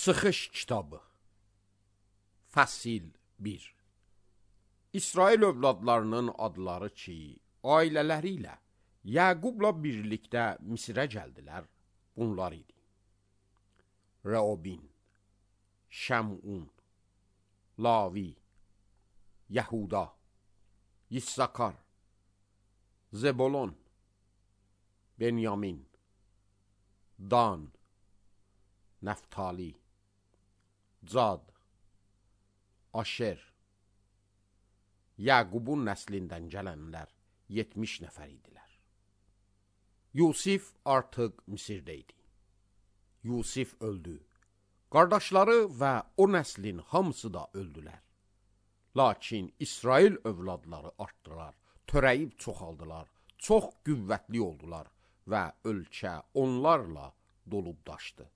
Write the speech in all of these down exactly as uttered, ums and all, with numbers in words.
Çıxış kitabı Fəsil bir. İsrail övladlarının adları ki, ailələri ilə Yəqubla birlikdə Misirə gəldilər, bunlar idi. Rəobin, Şəmun, Lavi, Yəhuda, Yissakar, Zebolon, Benyamin, Dan, Nəftali, Cad, Aşer. Yəqubun nəslindən gələnlər yetmiş nəfər idilər. Yusif artıq Misirdə idi. Yusif öldü. Qardaşları və o nəslin hamısı da öldülər. Lakin İsrail övladları artdılar, törəyib çoxaldılar, çox qüvvətli oldular və ölkə onlarla dolub daşdı.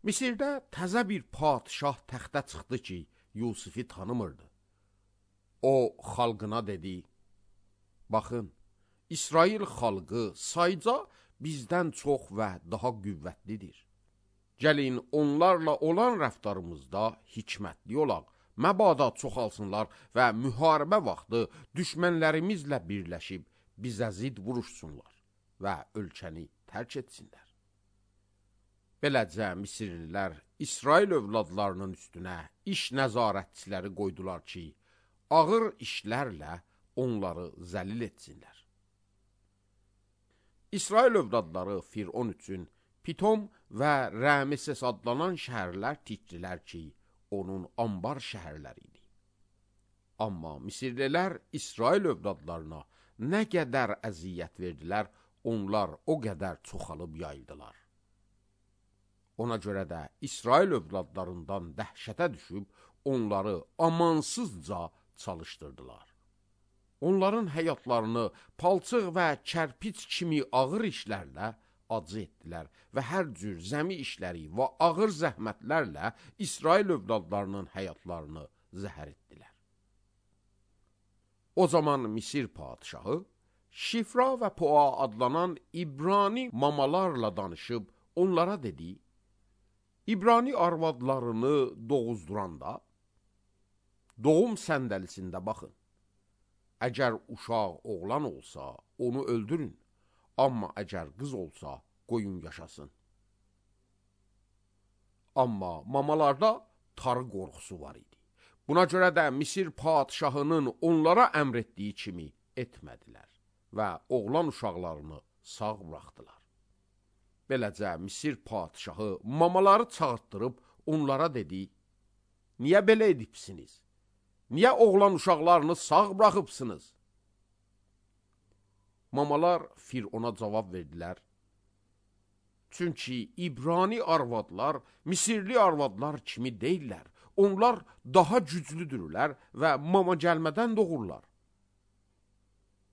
Misirdə təzə bir padişah təxtə çıxdı ki, Yusifi tanımırdı. O, xalqına dedi, baxın, İsrail xalqı sayca bizdən çox və daha qüvvətlidir. Gəlin, onlarla olan rəftarımızda hikmətli olaq, məbada çoxalsınlar və müharibə vaxtı düşmənlərimizlə birləşib bizə zid vuruşsunlar və ölkəni tərk etsinlər. Beləcə Misirlilər İsrail övladlarının üstünə iş nəzarətçiləri qoydular ki, ağır işlərlə onları zəlil etsinlər. İsrail övladları Firon üçün Pitom və Rəmeses adlanan şəhərlər tikdilər ki, onun ambar şəhərləri idi. Amma Misirlilər İsrail övladlarına nə qədər əziyyət verdilər, onlar o qədər çoxalıb yayıldılar. Ona görə də İsrail övladlarından dəhşətə düşüb, onları amansızca çalışdırdılar. Onların həyatlarını palçıq və kərpiç kimi ağır işlərlə acı etdilər və hər cür zəmi işləri və ağır zəhmətlərlə İsrail övladlarının həyatlarını zəhər etdilər. O zaman Misir padişahı Şifra və Poa adlanan İbrani mamalarla danışıb onlara dedi, İbrani arvadlarını doğuzduranda, doğum səndəlisində baxın. Əgər uşaq oğlan olsa, onu öldürün. Amma əgər qız olsa, qoyun yaşasın. Amma mamalarda tarı qorxusu var idi. Buna görə də Misir padişahının onlara əmr etdiyi kimi etmədilər və oğlan uşaqlarını sağ buraxdılar. Beləcə Misir padişahı mamaları çağırtdırıb onlara dedi, niyə belə edibsiniz? Niyə oğlan uşaqlarını sağ buraxıbsınız? Mamalar Firona cavab verdilər, çünki İbrani arvadlar Misirli arvadlar kimi deyirlər, onlar daha güclüdürlər və mama gəlmədən doğurlar.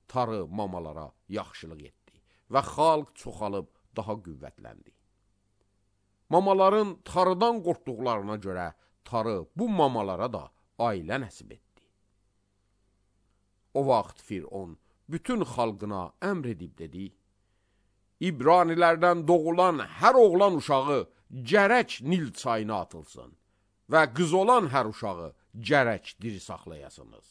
Tarı mamalara yaxşılıq etdi və xalq çoxalıb daha qüvvətləndi. Mamaların tarıdan qorxduqlarına görə tarı bu mamalara da ailə nəsib etdi. O vaxt Firon bütün xalqına əmr edib dedi, İbranilərdən doğulan hər oğlan uşağı gərək Nil çayına atılsın və qız olan hər uşağı gərək diri saxlayasınız.